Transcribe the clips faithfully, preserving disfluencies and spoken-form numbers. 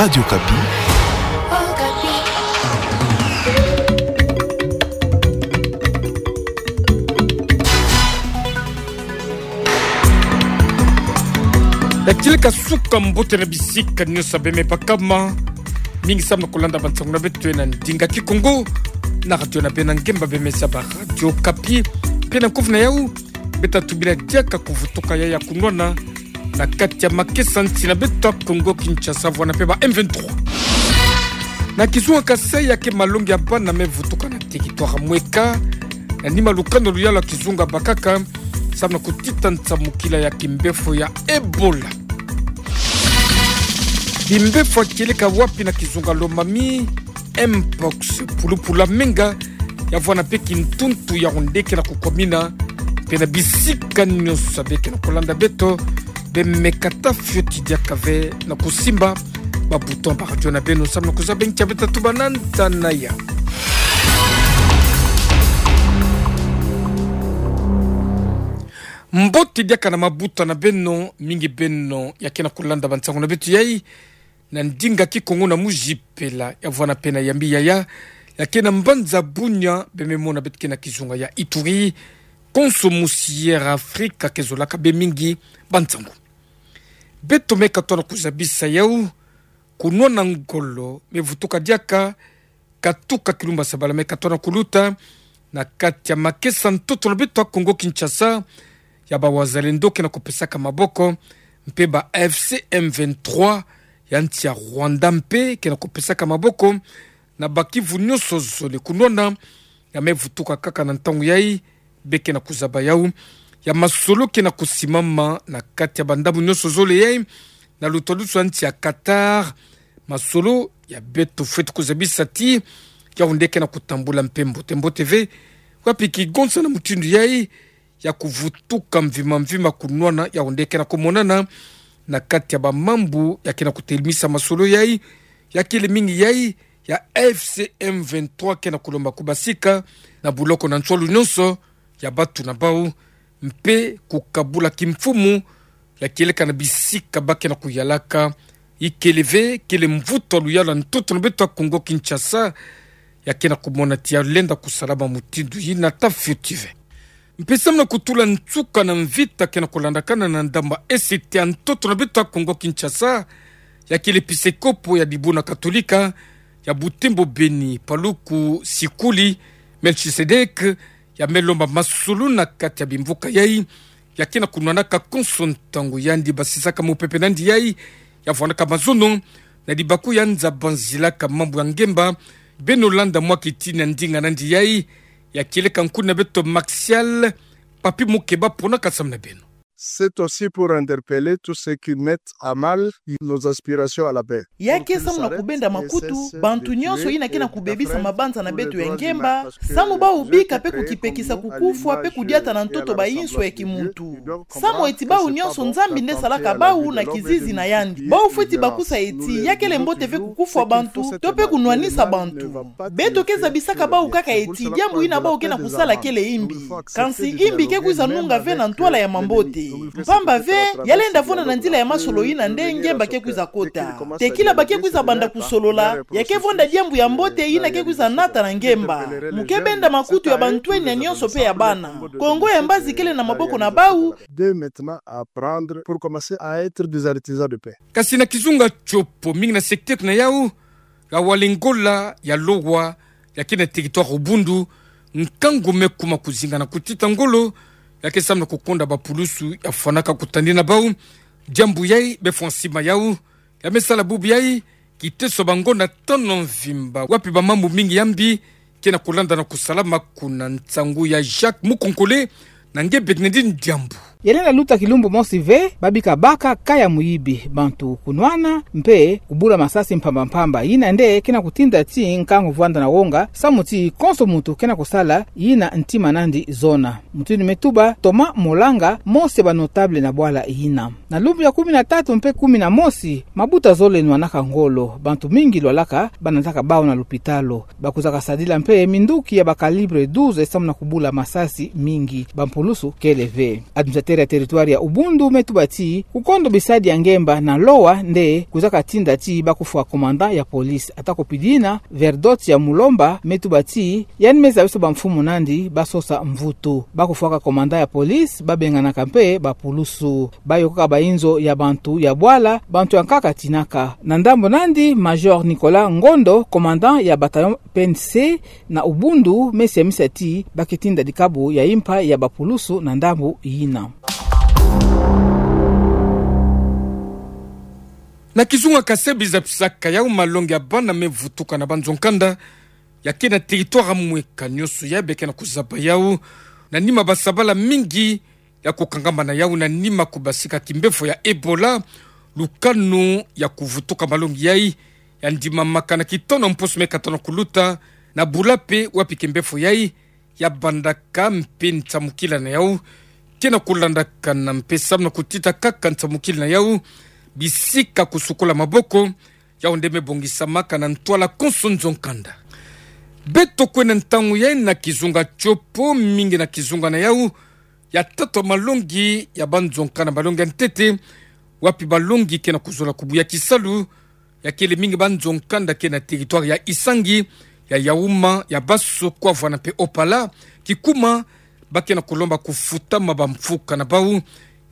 Radio Okapi. Yakileka suka mbote na bisika nyonso bembe bakama. Mingi samu na kulanda bansangu na beto na ndinga Kikongo na radio na beno ya ngemba bembe za ba Radio Okapi. Mpe na nkovu na yau, beta tubila diaka kuvutuka ya ya kunwana na kati ya makesa nsi na beto ya Kongo Kinshasa bwana mpe ba M vingt-trois. Na kizunga Kasaï, ya ke malongi ya bana me vutuka na territoire mweka, na nima lukano luyalu ya kizunga bakaka, samu na kutita nsamukila ya kimbefo ya Ebola. Kimbefo kieleka wapi na kizunga Lomami, Mpox, pulupulu ya menga, ya vwanda mpe kintuntu ya onde ke na kukwamina, mpe na bisika nyonso beke na kulanda beto, bembe kata fioti diaka ve na kusimba ba bouton ba radio na beno samu na kuzaba nkia beta tuba na ntangu ya. Mbote diaka na mabuta na beno, mingi beno ya ke na kulanda bansangu na beto yai, na ndinga Kikongo na muzipela, ya vwanda mpe na yambi yaya, ya ke na mbanza Bunia, bembe mona beto ke na kizunga ya Ituri, konso musi Air Africa ke zolaka bê mingi bansangu. Beto me katona kuzabisa yau, kunwana ngolo, me vutuka diaka, katuka kilumbu ya sabala me katona kuluta, na kati ya makesa ntoto na beto ya Kongo Kinshasa, ya ba Wazalendo ke na kupesaka maboko, mpe ba F C M vingt-trois, ya nsi ya Rwanda mpe ke na kupesaka maboko, na ba Kivu nyonso zole kunwana, ya me vutuka kaka na ntangu yai, beke na kuzaba yau, ya masolo ke na kusimama na kati ya ba ndambu nyonso zole yai, na lutalusu ya nsi ya Qatar, masolo ya beto fweti kuzabisa ti, ya onde ke na kutambula mpe mbote mbote ve, wapi kigonsa na mutindu yai, ya kuvutuka mvima mvima kunwana ya onde ke na kumonana, na kati ya ba mambu ya ke na kutelemisa masolo yai, ya kele mingi yai, ya F C M vingt-trois ke na kulomba kubasika, na buloko na nswalu nyonso, ya batu na bau, mpe kukabula kimfumu, ya kieleka na bisika ba ke na kuyalaka, ikele ve, kele mvutu ya luyalu ya ntoto na beto ya Kongo Kinshasa, ya ke na kumona ti ya lenda kusalama mutindu yina ta fioti ve. Mpe samu na kutula nsuka na mvita ke na kulandakana na ndambu ya E C T ya ntoto na beto ya Kongo Kinshasa, ya kele episekopo ya dibundu katolika ya Butembo Beni, Paluku Sikuli Melchisedek, ya me lomba masolo na kati ya bimvuka yai, ya ke na kunwanaka konso ntangu yandi basisaka mupepe nandi yai, ya vwandaka mazono, na dibaku ya nza banzilaka mambu ya ngemba, beno landa mwa kiti na ndinga nandi yai, ya kieleka nkuni na beto Maxial Papi Mukeba pona ka samu na beno. C'est aussi pour interpeller tous ceux qui mettent à mal nos aspirations à la paix. Ya ke samu na kubenda makutu bantu nyonso yina ke na kubebisa mabanza na beto ya ngemba, samu bau bika mpe kukipekisa kukufwa mpe kudiata na ntoto ba inso ya kimuntu. Samu eti bau nyonso Nzambi nde salaka bau na kizizi na yandi. Bau fweti bakusa eti ya kele mbote ve kukufwa bantu, to mpe kunwanisa bantu. Beto ke zabisaka bau kaka eti diambu yina bau ke na kusala kele imbi. Kansi imbi ke kwiza nunga ve na ntwala ya mambote. Mpamba ve, ya lenda vwanda na nzila ya masolo yina nde ngemba ke kwiza kota. Tekila ba ke kwiza banda kusolola, ya ke vwanda diambu ya mbote yina ke kwiza nata na ngemba. Mu ke benda makutu ya bantwenya nyonso mpe ya bana. Kongo ya mbazi kele na maboko na bau. Dès maintenant à apprendre pour commencer à être des artisans de paix. Kasi na kizunga Tshopo, mingi na secteur na yau, ya Walengola, ya Lowa, ya ke na territoire Ubundu, nkangu me kuma kuzinga na kutita ngolo, ya ke samu na kukonda bapulusu ya fwanaka kutani na bau, diambu yai, befwa nsima yau, ya me sala bubu yai, kiteso bango na tano mvimba, wapi ba mambu mingi ya mbi ke na kulanda na kusalama kuna. Nsangu ya Jacques Mukonkole, na nge bek na ndi ndiambu. Ya lenda luta kilumbu mosi ve, babika baka kaya muyibi, bantu kunwana, mpe kubula masasi mpamba mpamba. Yina nde ke na kutinda ti nkangu vwanda na wonga, samu ti konso muntu ke na kusala yina ntima nandi zona. Mutindu me tuba Thomas Molanga, mosi ya ba notable na bwala yina. Na lumbu ya kumi na tatu mpe kumi na mosi, mabuta zole nwanaka ngolo, bantu mingi lwalaka, banataka bau na lupitalu. Bakwizaka sadila mpe minduki ya ba calibre douze samu na kubula masasi mingi, bampulusu kele ve. Administrateur Tera territoire ya Ubundu me tuba ti kukondo bisadi ya ngemba na Lowa nde kwizaka tinda ti ba kufwa commandant ya police. Atako pidina, Verdot ya Mulomba me tuba ti yandi me zabisa bamfumu na yandi ba sosa mvutu. Ba kufwaka commandant ya police, ba benganaka mpe bapulusu. Ba yokaka bainzo ya bantu ya bwala, bantu ya nkaka tinaka. Na ndambu na yandi, Major Nicolas Ngondo, commandant ya bataillon P N C na Ubundu, me siamisa ti ba ke tinda dikabu ya impa ya bapulusu na ndambu yina. Na kizunga Kasaï, biza pisaka yau malongi ya bana me vutuka na banzo-nkanda ya ke na territoire mweka. Nionso ya be ke na kuzaba yau na nima basabala mingi ya kukangamana yau na nima kubasika kimbefo ya Ebola, lukanu ya kuvutuka malongi yai ya ndimamaka na kitona mposo meka tona kuluta, na bula mpe wapi kimbefo yai ya bandaka mpe nsamukila na yau ke na kulandakana mpe samu na kutita kaka nsamukila na yau bisika kusukula maboko. Yau nde me bongisamaka na ntwala konso nzo-nkanda. Beto kwenda ntangu yai na kizunga Tshopo, mingi na kizunga na yau ya tatwa malongi ya banzo-nkanda, malongi ya ntete, wapi balongi ke na kuzola kubuya kisalu. Ya kele mingi banzo-nkanda ke na territoire ya Isangi, ya Yaouma, ya Basso, Kwavana mpe Opala, kikuma ba ke na kulomba kufutama bamfuka na bau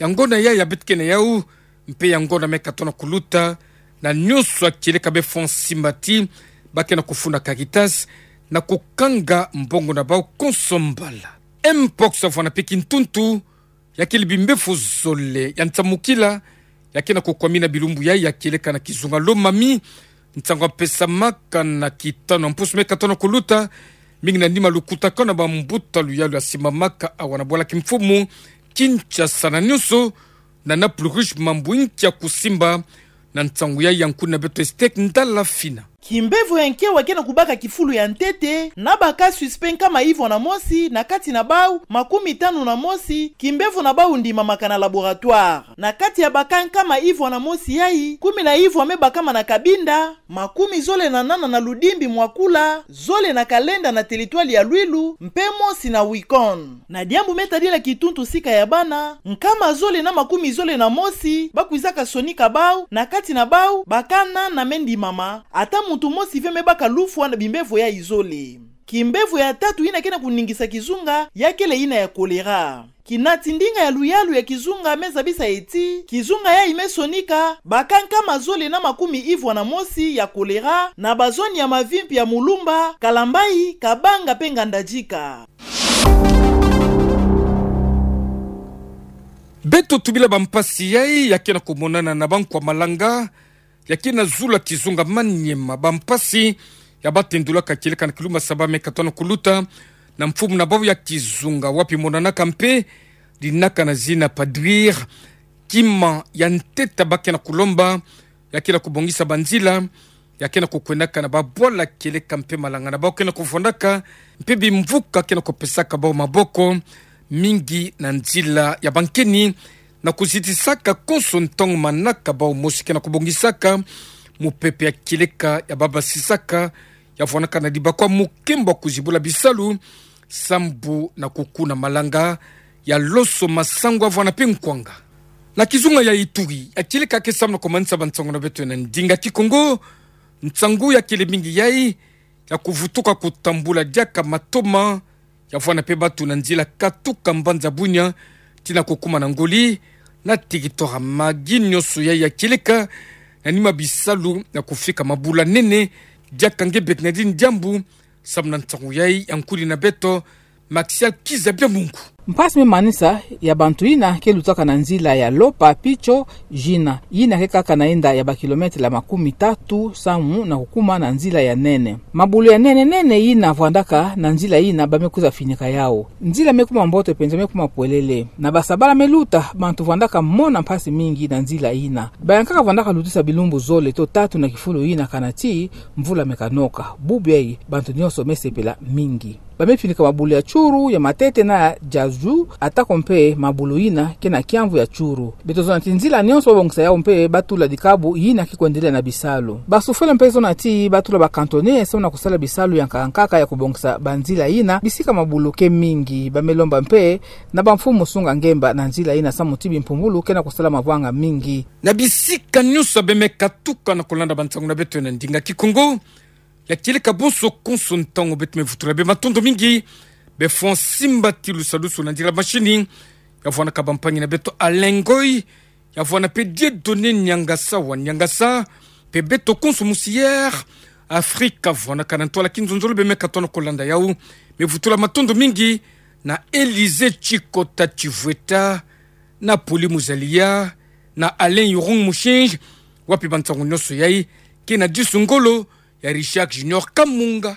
ya ngonda ya ya beto ke na yau, mpe ya ngonda meka tona kuluta, na nionso ya kieleka be fwa nsimbati ba ke na kufunda Caritas na kukanga mbongo na bau konso mbala. Mpox, vwanda mpe kintuntu, ya kele bimbefo zole ya nsamukila ya ke na kukwamina bilumbu yai ya kieleka na kizunga Lomami. Nsangu ya pesamaka na kitano ya mposo meka tona kuluta, mingi na nima lukutakano ya bambuta luyalu ya simbamaka awa na bwala kimfumu Kinshasa na nionso, na Naples Rouge, mambu nki ya kusimba. Na nsangu yai ya nkuni na beto Estek Ndala Fina. Kimbevo ya nkewa ke na kubaka kifulu ya ntete na ba cas suspect nkama ivwa na mosi, na kati na bau makumi tanu na mosi kimbevo na bau ndimamaka na laboratoire. Na kati ya ba cas nkama ivwa na mosi yai, kumi na ivwa me bakama na Cabinda, makumi zole na nana na Ludimbi, Mwakula, zole na Calenda na territoire ya Luilu, mpe mosi na Wikon. Na diambu me tadila kituntu sika ya bana, nkama zole na makumi zole na mosi ba kwizaka sonika bau, na kati na bau ba cas nana me ndimama, ata muntu mosi ve me baka lufwa na bimbevo yai zole. Kimbevo ya tatu yina ke na kuningisa kizunga ya kele yina ya choléra. Kinati ndinga ya luyalu ya kizunga me zabisa ti kizunga yai me sonika ba cas nkama zole na makumi ivwa na mosi ya choléra na ba zone ya mavimpi ya Mulumba, Kalambayi, Kabanga mpe Ngandajika. Beto tubila bampasi yai ya ke na kumonana na bankwa malanga ya ke na zulu ya kizunga Maniema. Bampasi ya ba tendulaka kieleka na kilumbu saba meka tona kuluta na mfumu na bau ya kizunga, wapi monanaka mpe dinaka na zina padrir. Kima ya ntete ba ke na kulomba ya ke na kubongisa banzila ya ke na kukwendaka na babwala kieleka mpe malanga na bau ke na kuvwandaka, mpe bimvuka ke na kupesaka bau maboko, mingi na nzila ya bankeni, na kuzitisaka konso ntangu manaka bau mosi ke na kubongisaka mupepe ya kieleka ya babasisaka, ya vwandaka na dibakwa mukembo ya kuzibula bisalu, sambu na kukuna malanga ya loso, masangu, vwanda mpe nkwanga. Na kizunga ya Ituri, ya kieleka ke samu na kumanisa bansangu na beto na ndinga Kikongo, nsangu ya kele mingi yai ya kuvutuka kutambula diaka matoma, ya vwanda mpe batu na nzila katuka mbanza Bunia tii na kukuma na Ngoli, na territoire Magi. Nionso yai ya kieleka na nima bisalu na kufika mabula nene, diaka nge bek na dini diambu, samu na nsangu yai ya nkuni na beto Maxial Kiza Biamungu. Mpasi me manisa ya bantu yina ke lutaka na nzila ya Lopa Picho Jina, yina ke kaka na yinda ya ba kilometela makumi tatu samu na kukuma na nzila ya nene. Mabulu ya nene nene yina vwandaka na nzila yina ba me kwiza finika yau. Nzila me kuma mbote penza, me kuma pwelele. Na basabala me luta, bantu vwandaka mona mpasi mingi na nzila yina. Bayankaka vwandaka lutisa bilumbu zole to tatu na kifulu yina kana ti mvula me kanoka. Bubu yai bantu nionso me sepela mingi. Ba me finika mabulu ya churu, ya matete na ya ju, atako mpe mabulu yina ke na kiamvu ya churu. Beto zona ti nzila nyonso babongisa yau mpe batula dikabu yina ke kwendelea na bisalu. Basufele mpe zona ti batula ba cantonniers samu na kusala bisalu ya nkaka nkaka ya kubongisa banzila yina, bisika mabulu ke mingi. Bamilomba mpe na bamfumu sunga ngemba na nzila yina samu ti bimpumbulu ke na kusala mavwanga mingi. Na bisika nyonso beme katuka na kulanda bansangu na beto na ndinga Kikongo, ya kieleka bonso konso ntangu beto me vutula bê matondo mingi, bê fwa nsimbati lusalusu na nzila mashini, ya vwanaka bampangi na beto Alain Ngoy, ya vwana mpe Dieudonné Niangasa wa Niangasa, mpe beto konso musier Afrika, vwanaka na ntwala kinzonzolo beme katono kulanda yau. Me vutula matondo mingi na Élysée Tshikota Tshivweta, na Poli Muzalia, na Alain Yurung Mushinji, wapi bansangu nyonso yai ke na disu ngolo ya Richard Junior Kamunga.